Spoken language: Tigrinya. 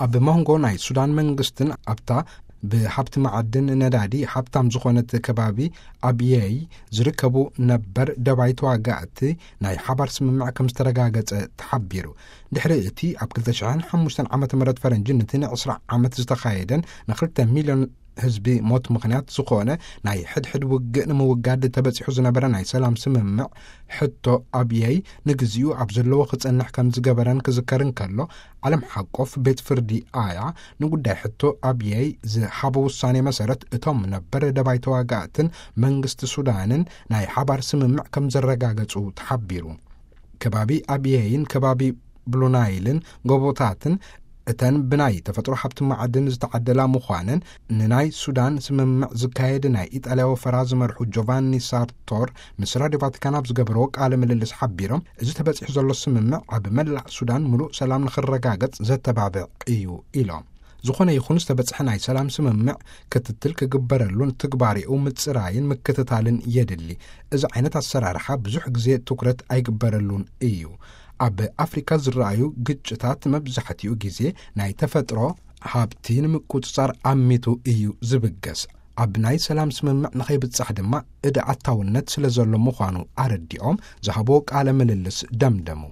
ኣብ መንጎ ናይ ሱዳን መንግስትን ኣብታ ብሃብቲ መዓድን ነዳዲ ሃብታም ዝኾነት ከባቢ ኣብየይ ዝርከቡ ነበር ደባይ ተዋጋእቲ ናይ ሓባር ስምምዕ ከም ዝተረጋገጸ ተሓቢሩ። ድሕሪ እቲ ኣብ ክልተ ሽሕን ሓሙሽተን ዓመተ ምህረት ፈረንጂ፣ ነቲ ንዕስራ ዓመት ዝተኻየደን ንክልተ ሚልዮን ህዝቢ ሞት ምኽንያት ዝኾነ ናይ ሕድሕድ ውግእ ንምውጋድ ተበጺሑ ዝነበረ ናይ ሰላም ስምምዕ፣ ሕቶ ኣብየይ ንግዚኡ ኣብ ዘለዎ ክጸንሕ ከም ዝገበረን ክዝከር እንከሎ፣ ዓለም ሓቆፍ ቤት ፍርዲ ኣያ ንጉዳይ ሕቶ ኣብየይ ዝሃቦ ውሳኔ መሰረት፣ እቶም ነበር ደባይ ተዋጋእትን መንግስቲ ሱዳንን ናይ ሓባር ስምምዕ ከም ዘረጋገጹ ተሓቢሩ። ከባቢ ኣብየይን ከባቢ ብሉናይልን ጎቦታትን እተን ብናይ ተፈጥሮ ሃብቲ ማዕድን ዝተዓደላ ምዃነን፣ ንናይ ሱዳን ስምምዕ ዝካየድ ናይ ኢጣልያ ወፈራ ዝመርሑ ጆቫኒ ሳርቶር ምስ ራድዮ ቫቲካን ኣብ ዝገበርዎ ቃለ ምልልስ ሓቢሮም፣ እዚ ተበጺሑ ዘሎ ስምምዕ ኣብ መላእ ሱዳን ምሉእ ሰላም ንኽረጋገጽ ዘተባብዕ እዩ ኢሎም። ዝኾነ ይኹን ዝተበጽሐ ናይ ሰላም ስምምዕ ክትትል ክግበረሉን ትግባሬኡ ምጽራይን ምክትታልን የድሊ። እዚ ዓይነት ኣሰራርሓ ብዙሕ ግዜ ትኩረት ኣይግበረሉን እዩ። ኣብ ኣፍሪካ ዝረኣዩ ግጭታት መብዛሕትኡ ግዜ ናይ ተፈጥሮ ሃብቲ ንምቁጽጻር ኣሚቱ እዩ ዝብገስ። ኣብ ናይ ሰላም ስምምዕ ንኸይብጻሕ ድማ እደ ኣታውነት ስለ ዘሎ ምዃኑ ኣረዲኦም ዝሃብዎ ቃለ ምልልስ ደምደሙ።